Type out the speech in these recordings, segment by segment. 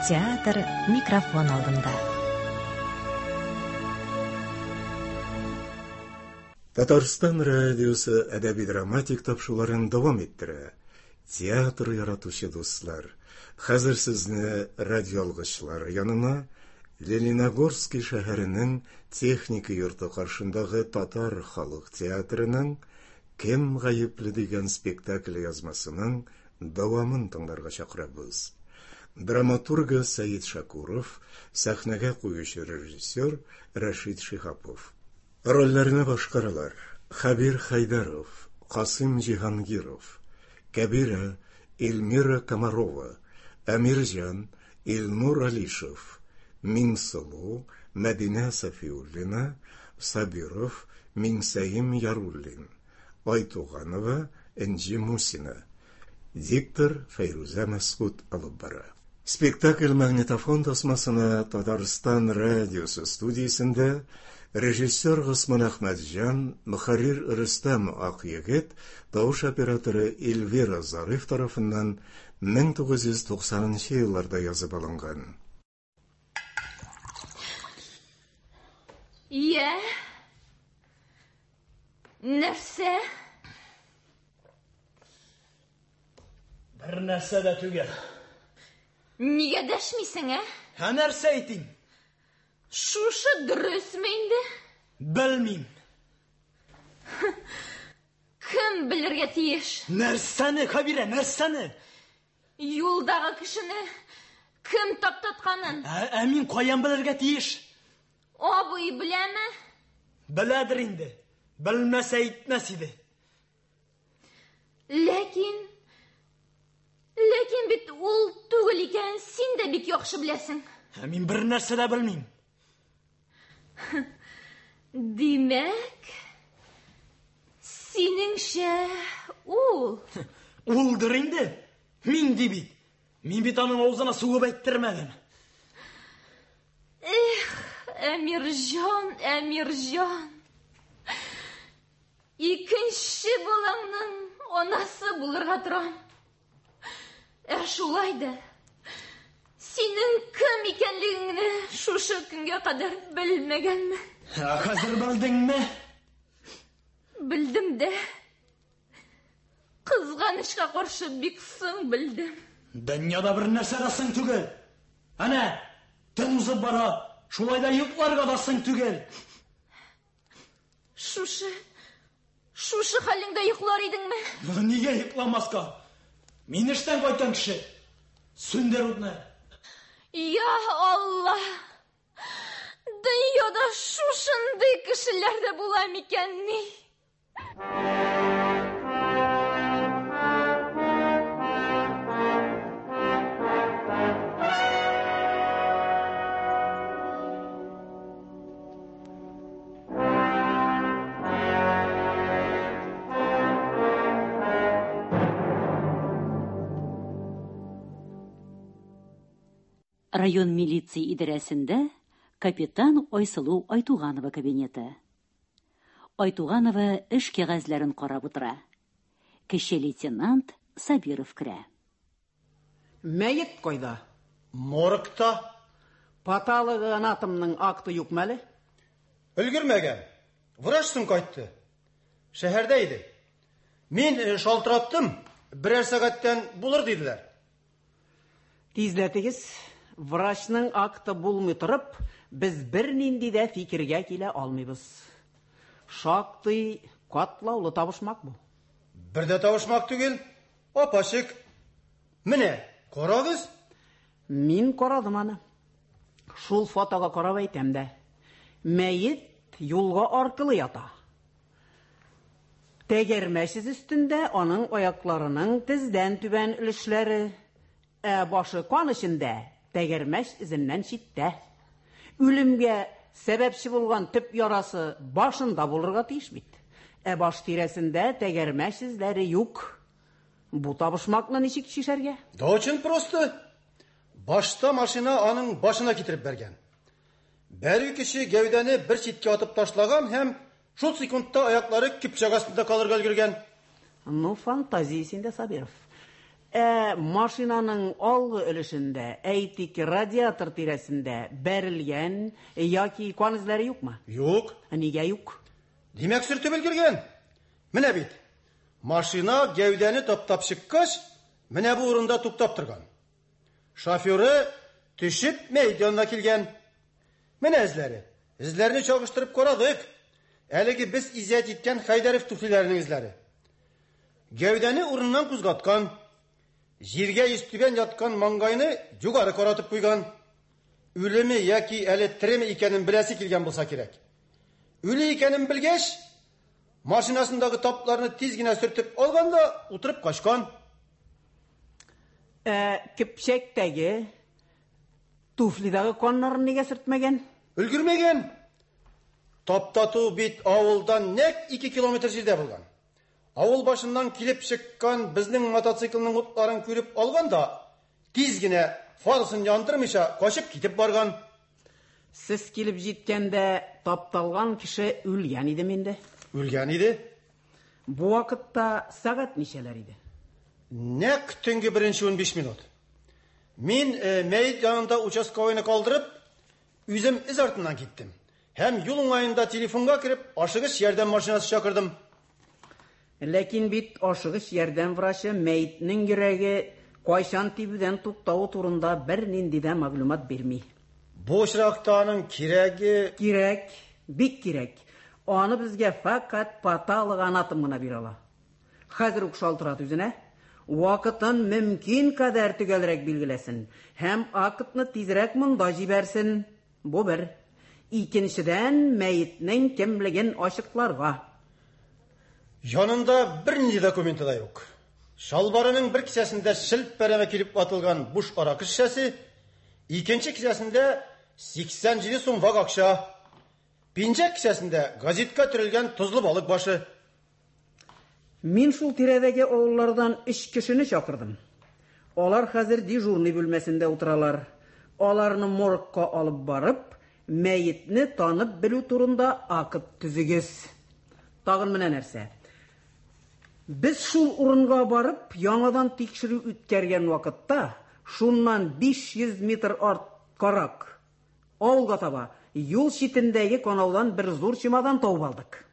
Театр микрофон алдында. Татарстан радиосы әдәби-драматик тапшыруларын дәвам иттерә. Театр яратучы дуслар, хәзер сезне радиоалгычлар янына Лениногорский шәһәренең техника йорты каршындагы татар халык театрының Кем гаепле дигән спектакль язмасының дәвамын тыңларга чакырабыз. Драматургы Сәет Шакуров, сәхнәгә куючы режиссер Рәшит Шиһапов. Рольләрне башкаралар: Хәбир Хәйдәров, Касыйм Җиһангиров, Кәбирә, Эльмира Комарова, Әмирҗан, Илнур Алишев, Миңсылу, Мәдинә Сафиуллина, Сабиров, Миңсәем Яруллин, Айтуганова, Энҗе Мусина. Диктор Фәйрүзә Мәсгут алып бара. Спектакль магнитофон тасмасына Татарстан радиосы студиясендә режиссер Госман Әхмәтҗан, мөхәррир Рөстәм Акъегет, тавыш операторы Эльвира Зариф тарафыннан 1990 нчы елларда язып алынган. Йә? Нәрсә? Бер нәрсә дә түгел. Нигә дәшмисең, ә? Ә нәрсә әйтим? Шушы дөресме инде? Белмим. Кем белергә тиеш? Нәрсәне, Хәбирә, нәрсәне? Юлдагы кешене кем таптатканын? Ә, ә мин каян белергә тиеш? Абый беләме? Беләдер инде. Белмәсә әйтмәс иде. Ләкин Ләкин бит ул түгел икән, син дә бик яхшы беләсең. Ә мин бер нәрсә дә белмим. Димәк, синеңчә ул. Улдыр инде. Мин ди бит. Мин бит аның авызына сугып әйттермәдем. Эх, Әмирҗан, Әмирҗан. Икенче балаңның анасы булырга торам. Ә шулай да синең кем икәнлегеңне шушы көнгә кадәр белмәгәнмен. Ә хәзер белдеңме? Белдем дә. Кызганычка каршы бик соң белдем. Дөньяда бер нәрсә дә соң түгел. Әнә, төн узып бара. Шулай да йокларга да соң түгел. Шушы, шушы хәлеңдә йоклар идеңме? Нигә йокламаска? Мин эштән кайткан кеше. Сүндер утны. Я Алла! Дөньяда шушындый кешеләр дә була микәнни? Район милиция идарәсендә капитан Айсылу Айтуганова кабинеты. Айтуганова эш кәгазьләрен карап утыра. Кече лейтенант Сабиров керә. Мәет кайда? Моргта. Патологоанатомның акты юкмы әле? Өлгермәгән. Врач соң кайтты. Шәһәрдә иде. Мин э, шалтыраттым, берәр сәгатьтән булыр диделәр. Тизләтегез. Врачның акты булмый торып, без бернинди дә фикергә килә алмыйбыз. Шактый катлаулы табышмак бу. Бер дә табышмак түгел. Апачык. Менә, карагыз. Мин карадым аны. Шул фотога карап әйтәм дә. Мәет юлга аркылы ята. Тәгәрмәч эз өстендә аның аякларының тездән түбән өлешләре, ә башы кан эчендә, тәгәрмәч эзеннән читтә. Үлемгә сәбәпче булган төп ярасы башында булырга тиеш бит. Ә баш тирәсендә тәгәрмәч эзләре юк. Бу табышмакны ничек чишәргә? Да очень просто. Башта машина аның башына китереп бәргән. Бәрү кеше гәүдәне бер читкә атып ташлаган һәм шул секундта аяклары көпчәк астында калырга өлгергән. Ну, фантазия синдә, Сабиров. Ә машинаның алгы өлешендә, әйтик, радиатор тирәсендә бәрелгән яки кан эзләре юкмы? Юк. Нигә юк? Димәк, сөртеп өлгергән. Менә бит. Машина гәүдәне таптап чыккач, менә бу урында туктап торган. Шоферы төшеп мәет янына килгән. Менә эзләре. Эзләрне чагыштырып карадык. Әлеге без изъять иткән Хәйдәрев туфлиләренең эзләре. Гәүдәне урыннан кузгаткан. Җиргә йөзтүбән яткан маңгайны югары каратып куйган. Үлеме яки әле тереме икәнен беләсе килгән булса кирәк. Үле икәнен белгәч, машинасындагы тапларны тиз генә сөртеп алган да утырып качкан. Ә көпчәктәге туфлидагы каннарын нигә сөртмәгән? Өлгермәгән. Таптату бит авылдан нәкъ 2 километр җирдә булган. Авыл башыннан килеп чыккан безнең мотоциклның утларын күреп алган да, тиз генә фарасын яндырмыйча качып китеп барган. Сез килеп җиткәндә тапталган кеше үлгән идеме инде? Үлгән иде. Бу вакытта сәгать ничәләр иде? Нәкъ төнге беренче 15 минут. Мин мәет янында участковыйны калдырып, үзем эз артыннан киттем. Һәм юл уңаенда телефонга кереп, ашыгыч ярдәм машинасы чакырдым. Ләкин бит ашыгыч ярдәм врачы мәетнең йөрәге кайчан тибүдән туктавы турында бернинди дә мәгълүмат бирми. Бу очракта аның кирәге... Кирәк, бик кирәк. Аны безгә фәкать патологоанатом гына бирә ала. Хәзер үк шалтырат үзенә. Вакытын мөмкин кадәр төгәлрәк билгеләсен һәм актны тизрәк монда җибәрсен. Бу бер. Икенчедән, мәетнең кемлеген ачыкларга. Янында бернинди документы да юк. Шалбарының бер кесәсендә челпәрәмә килеп атылган буш аракы шешәсе, икенче кесәсендә 87 сум вак акча, пинжәк кесәсендә газетка төрелгән тозлы балык башы. Мин шул тирәдәге авыллардан 3 кешене чакырдым. Алар хәзер дежурный бүлмәсендә утыралар. Аларны моргка алып барып, мәетне танып белү турында акт төзегез. Тагын менә нәрсә. Без шул урынга барып, яңадан тикшерү үткәргән вакытта, шуннан 500 метр арткарак, авылга таба, юл читендәге канаудан бер зур чемодан табып алдык.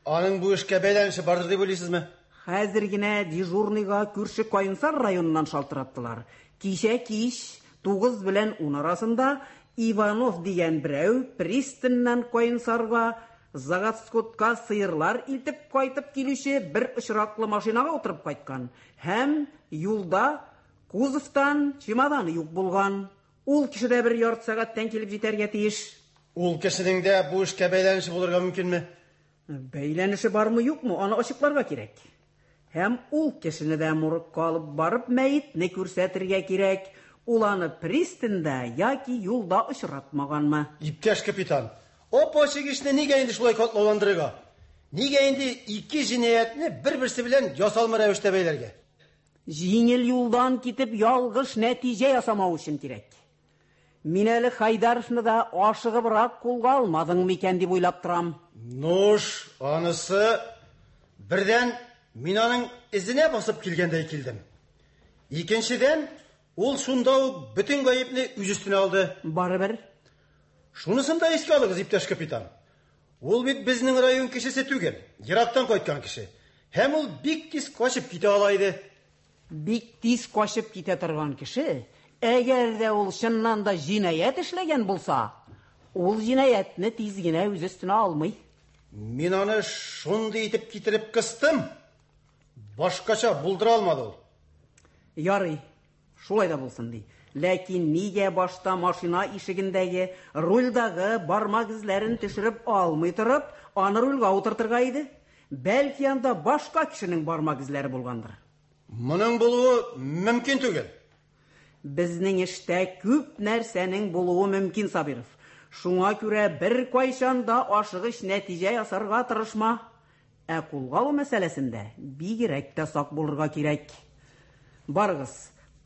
Аның бу эшкә бәйләнеше бардыр дип уйлыйсызмы? Хәзер генә дежурныйга күрше Каенсар районыннан шалтыраттылар. Кичә кич 9 белән 10 арасында Иванов дигән берәү пристаньнан Каенсарга Заготскотка сыерлар илтеп кайтып килүче бер очраклы машинага утырып кайткан һәм юлда кузовтан чемоданы юк булган. Ул кеше дә бер ярты сәгатьтән килеп җитәргә тиеш. Ул кешенең дә бу эшкә бәйләнеше булырга мөмкинме? Бәйләнеше бармы юкмы, аны ачыкларга кирәк. Һәм ул кешене дә моргка алып барып мәетне күрсәтергә кирәк. Ул аны пристаньда яки юлда очратмаганмы? Иптәш капитан, опа-ачык эшне нигә инде шулай катлауландырырга? Нигә инде ике җинаятьне бер-берсе белән ясалма рәвештә бәйләргә? Җиңел юлдан китеп ялгыш нәтиҗә ясамау өчен кирәк. Мин әле Хайдаровны да ашыгыбрак кулга алмадың микән дип уйлап торам. Нуш, анысы бердән мин аның эзенә басып килгәндәй килдем. Икенчедән, ул шунда ук бөтен гаепне үз өстенә алды. Барыбер. Шунысын да искә алыгыз, иптәш капитан. Ул бит безнең район кешесе түгел, ерактан кайткан кеше. Һәм ул бик тиз качып китә ала иде. Бик тиз качып китә торган кеше, әгәр дә ул чыннан да җинаять эшләгән булса, ул җинаятьне тиз генә үз өстенә алмый. Мин аны шундый итеп китереп кыстым. Башкача булдыра алмады ул. Ярый, шулай да булсын ди. Ләкин нигә башта машина ишегендәге, рульдагы бармак эзләрен төшереп алмый торып, аны рульгә утыртырга иде? Бәлки анда башка кешенең бармак эзләре булгандыр. Моның булуы мөмкин түгел. Безнең эштә күп нәрсәнең булуы мөмкин, Сабиров. Шуңа күрә бер кайчан да ашыгыч нәтиҗә ясарга тырышма. Ә кулга алу мәсьәләсендә бигрәк тә сак булырга кирәк. Барыгыз,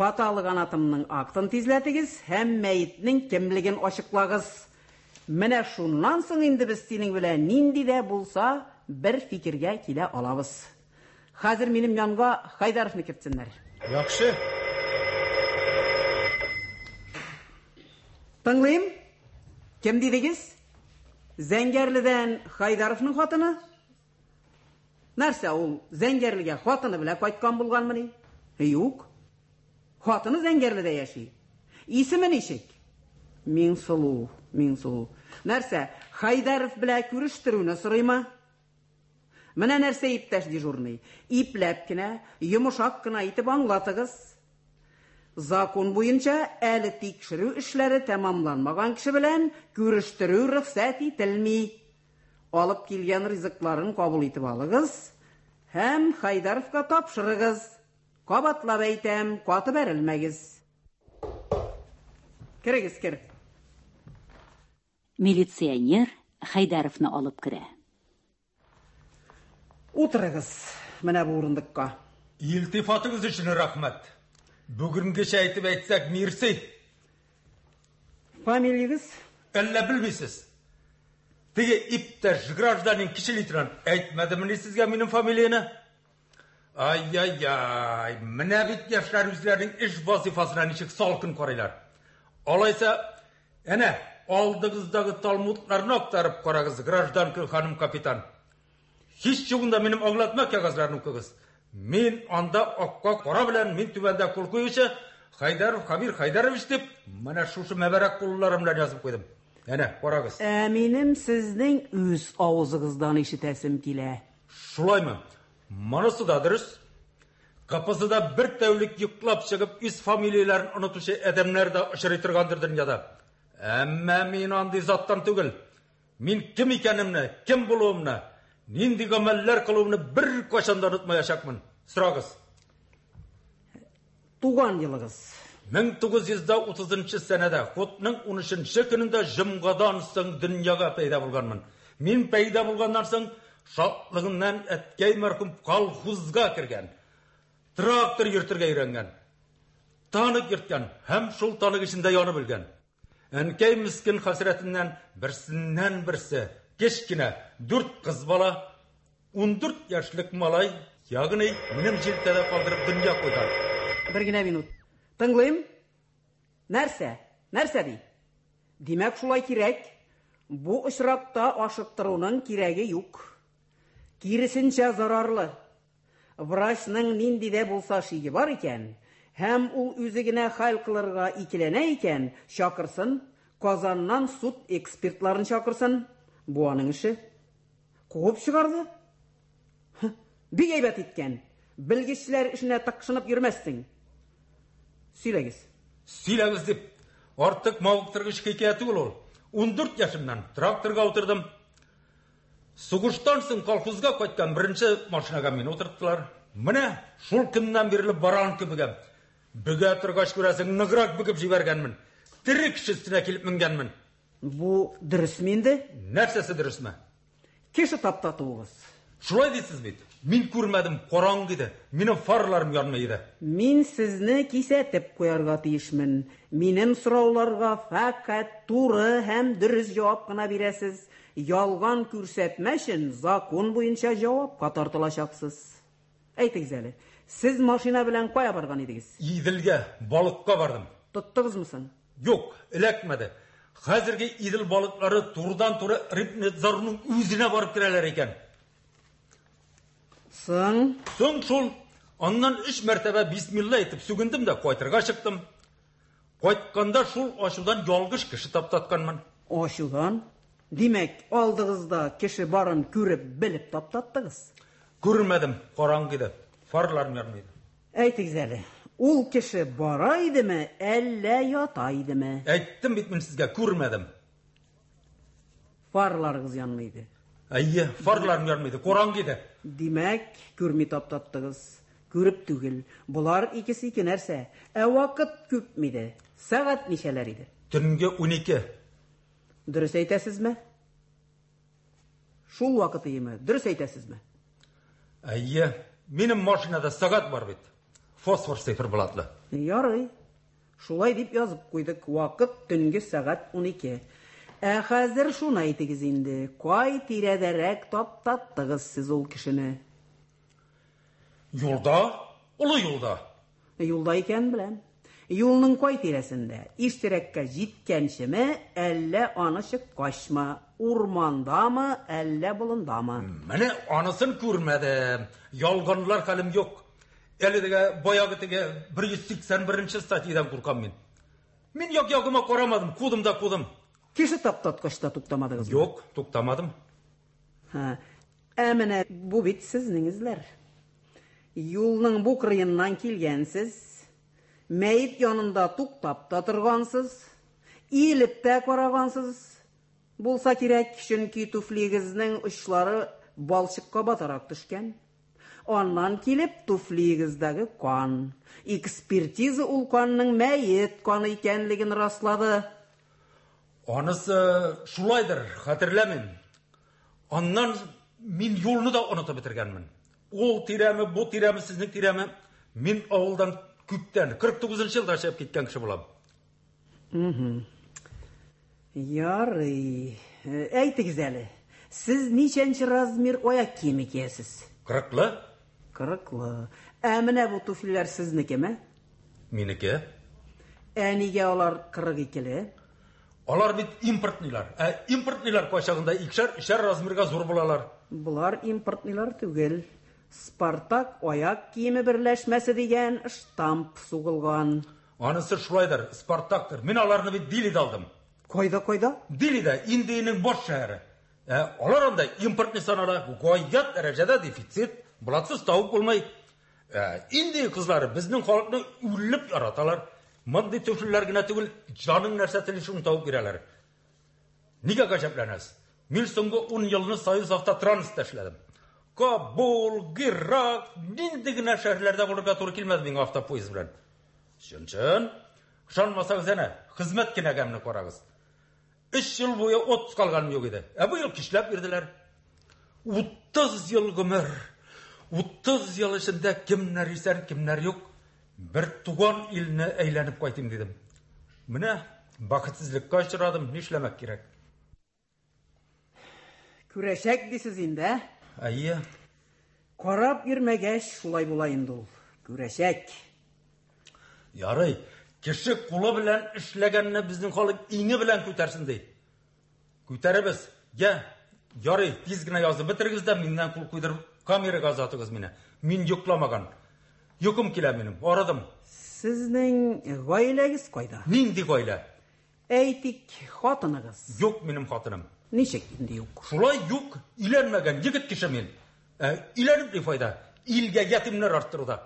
патологоанатомның актын тизләтегез һәм мәетнең кемлеген ачыклагыз. Менә шуннан соң инде без синең белән нинди дә булса бер фикергә килә алабыз. Хәзер минем янга Хайдаровны кертсеннәр. Яхшы. Тыңлыйм. Кем дидегез? Зәңгәрледән Хайдаровның хатыны? Нәрсә ул Зәңгәрлегә хатыны белән кайткан булганмыни? Юк. Хатыны Зәңгәрледә яши. Исеме ничек? Миңсылу, Миңсылу. Нәрсә, Хайдаров белән күрештерүне сорыймы? Менә нәрсә, иптәш дежурный, ипләп кенә, йомшак кына итеп аңлатыгыз. Закон буенча әле тикшерү эшләре тәмамланмаган кеше белән күрештерү рөхсәт ителми. Алып килгән ризыкларын кабул итеп алыгыз һәм Хайдаровка тапшырыгыз. Кабатлап әйтәм, каты бәрелмәгез. Керегез, кер. Милиционер Хайдаровны алып керә. Утырыгыз менә бу урындыкка. Илтифатыгыз өчен рәхмәт. Бүгенгечә әйтеп әйтсәк, мирси. Фамилиягез? Әллә белмисез? Теге иптәш гражданин кече лейтенант әйтмәдемени сезгә минем фамилияне? Ай-яй-яй, менә бит яшьләр үзләренең эш вазифасына ничек салкын карыйлар. Алайса, әнә, алдыгыздагы талмудларны актарып карагыз, гражданка ханым капитан. Һич югында минем аңлатма кәгазьләрен укыгыз. Мин анда акка кара белән мин түбәндә кул куючы Хайдаров Хабир Хайдарович дип, менә шушы мәбәрәк кулларым белән язып куйдым. Әнә, карагыз. Ә минем сезнең үз авызыгыздан ишетәсем килә. Шулаймы? Монысы да дөрес. КПЗда бер тәүлек йоклап чыгып, үз фамилияләрен онытучы адәмнәр дә очрый торгандыр дөньяда. Әмма мин андый заттан түгел. Мин кем икәнемне, кем булуымны, нинди гамәлләр кылуымны беркайчан да онытмаячакмын. Сорагыз. Туган елыгыз? 1930 сәнәдә, хутның 13 көнендә җомгадан соң дөньяга пәйда булганмын. Мин пәйда булганнан соң шатлыгыннан әткәй мәрхүм колхозга кергән. Трактор йөртергә өйрәнгән. Танк йөрткән һәм шул танк эчендә янып үлгән. Әнкәй мискен хәсрәтеннән берсеннән берсе кечкенә 4 кыз бала, 14 яшьлек малай, ягъни минем җилкәдә калдырып дөнья куйган. Бер генә минут. Тыңлыйм. Нәрсә? Нәрсә ди? Димәк, шулай кирәк. Бу очракта ашыктыруның кирәге юк. Киресенчә зарарлы. Врачның нинди дә булса шиге бар икән, һәм ул үзе генә хәл кылырга икеләнә икән, чакырсын, Казаннан суд экспертларын чакырсын. Бу аның эше. Куып чыгарды. Бик әйбәт иткән. Белгечләр эшенә тыкшынып йөрмәссең. Сөйләгез. Сөйләгез дип, артык мавыктыргыч хикәя түгел ул. 14 яшемнән тракторга утырдым. Сугыштан соң колхозга кайткан беренче машинага мине утырттылар. Менә шул көннән бирле баран кебегем. Бөгә торгач күрәсең, ныграк бөгеп җибәргәнмен. Тере кеше өстенә килеп менгәнмен. Бу дөресме инде? Нәрсәсе дөресме? Кеше таптатуыгыз. Шулай дисез бит. Мин күрмәдем, караңгы иде. Минем фарларым янмый иде. Мин сезне кисәтеп куярга тиешмен. Минем сорауларга фәкать туры һәм дөрес җавап кына бирәсез. Ялган күрсәтмә өчен закон буенча җавапка тартылачаксыз. Әйтегез әле, сез машина белән кая барган идегез? Иделгә, балыкка бардым. Тоттыгызмы соң? Юк, эләкмәде. Хәзерге Идел балыклары турыдан-туры Рыбнадзорның үзенә барып керәләр икән. Соң? Соң шул. Аннан 3 мәртәбә бисмилла әйтеп сүгендем дә кайтырга чыктым. Кайтканда шул ачудан ялгыш кеше таптатканмын. Ачудан? Димәк, алдыгызда кеше барын күреп, белеп таптаттыгыз? Күрмәдем, караңгы иде. Фарларым янмый иде. Әйтегез әле, ул кеше бара идеме, әллә ята идеме? Әйттем бит мин сезгә, күрмәдем. Фарларыгыз янмый иде. Әйе, фарларым янмый иде, караңгы иде. Димәк, күрми таптаттыгыз. Күреп түгел. Болар икесе ике нәрсә. Ә вакыт күпме иде? Сәгать ничәләр иде? Төнге 12. Дөрес әйтәсезме? Шул вакыт иеме? Дөрес әйтәсезме? Әйе, минем машинада сәгать бар бит. Фосфор циферблатлы. Ярый. Шулай дип язып куйдык. Вакыт төнге сәгать 12. Ә хәзер шуны әйтегез инде. Кай тирәдәрәк таптаттыгыз сез ул кешене? Юлда, олы юлда. Юлда икәнен беләм. Юлның кай тирәсендә? Иштирәккә җиткәнчеме, әллә аны чыккачмы? Урмандамы, әллә болындамы? Менә анысын күрмәдем. Ялганлар хәлем юк. Әле теге баягы теге 181 статьядан куркам мин. Мин як-ягыма карамадым, кудым да кудым. Кеше таптаткач та туктамадыгызмы? Юк, туктамадым. Һа. Ә менә бу бит сезнең эзләр. Юлның бу кырыеннан килгәнсез, мәет янында туктап та торгансыз, иелеп тә карагансыз булса кирәк, чөнки туфлиегезнең очлары балчыкка батарак төшкән. Аннан килеп туфлиегездәге кан. Экспертиза ул канның мәет каны икәнлеген раслады. Анысы шулайдыр, хәтерләмим. Аннан мин юлны да онытып бетергәнмен. Ул тирәме, бу тирәме, сезнең тирәме. Мин авылдан күптән, 49 елда чыгып киткән кеше булам. Ярый. Әйтегез әле, сез ничәнче размер аяк киеме киясез? Кырыклы? Кырыклы. Ә менә бу туфлиләр сезнекеме? Минеке. Ә нигә алар 42-ле? Алар бит импортныйлар. Ә импортныйлар кайчагында икешәр, өчәр размерга зур булалар. Болар импортныйлар түгел. Спартак аяк киеме берләшмәсе дигән штамп сугылган. Анысы шулайдыр, Спартактыр. Мин аларны бит Делида алдым. Кайда, кайда? Делида, Индиянең баш шәһәре. Ә алар анда импортный санала, гаять дәрәҗәдә дефицит, булатсыз табып булмый. Ә Индия кызлары безнең халыкны үлеп яраталар. Мондый туфлиләр генә түгел, җаның нәрсә тели шуны табып бирәләр. Нигә гаҗәпләнәсез? Мин соңгы 10 елны Союз автотранспортта эшләдем. Кабул, Герак, нинди генә шәһәрләрдә булырга туры килмәде миңа автопоезд белән. Чын-чын. Ышанмасагыз әнә, хезмәт кенәгәмне карагыз. 3 ел буе отпуск алганым юк иде. Ә бу ел кичләп бирделәр. 30 ел гомер. 30 ел эчендә кемнәр исән, кемнәр юк. Бер туган илне әйләнеп кайтыйм дидем. Менә бәхетсезлеккә очрадым, нишләмәк кирәк? Күрәчәк дисез инде, ә? Әйе. Карап йөрмәгәч, шулай була инде ул. Күрәчәк. Ярый, кеше кулы белән эшләгәнне безнең халык иңе белән күтәрсен ди. Күтәребез. Я, ярый, тиз генә язып бетерегез дә миннән кул куйдырып камерага озатыгыз мине. Мин йокламаган. Йокым килә минем, арыдым. Сезнең гаиләгез кайда? Нинди гаилә? Әйтик, хатыныгыз. Юк минем хатыным. Ничек инде юк? Шулай юк, өйләнмәгән егет кеше мин. Ә, өйләнеп ни файда? Илгә ятимнәр арттыруда.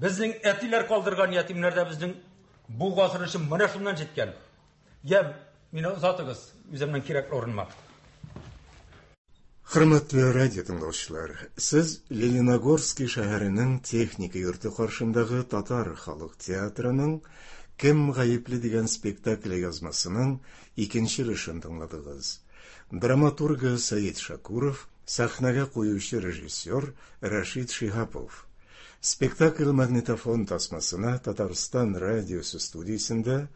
Безнең әтиләр калдырган ятимнәр дә безнең бу гасыр өчен менә шуннан җиткән. Я, мине озатыгыз үземнең кирәкле урыныма. Хөрмәтле радио тыңлаучылар, сез Лениногорский шәһәренең техника йорты каршындагы татар халык театрының Кем гаепле дигән спектакле язмасының икенче өлешен тыңладыгыз. Драматургы Сәет Шакуров, сәхнәгә куючы режиссер Рәшит Шиһапов. Спектакль магнитофон тасмасына Татарстан радиосы студиясендә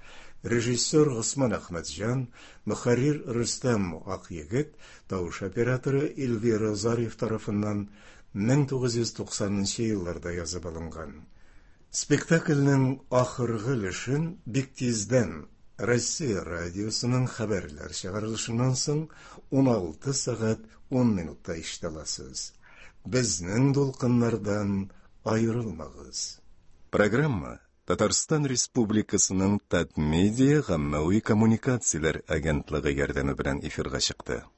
режиссер Госман Әхмәтҗан, мөхәррир Рөстәм Акъегет, тавыш операторы Эльвира Зариф тарафыннан 1990 елларда язып алынган. Спектакльнең ахыргы өлешен бик тиздән Россия радиосының хәбәрләр чыгарылышыннан соң 16 сәгать 10 минутта ишетә аласыз. Безнең дулкыннардан аерылмагыз. Программа Татарстан Республикасының Татмедиа гаммәви коммуникацияләр агентлыгы ярдәме белән эфирга чыкты.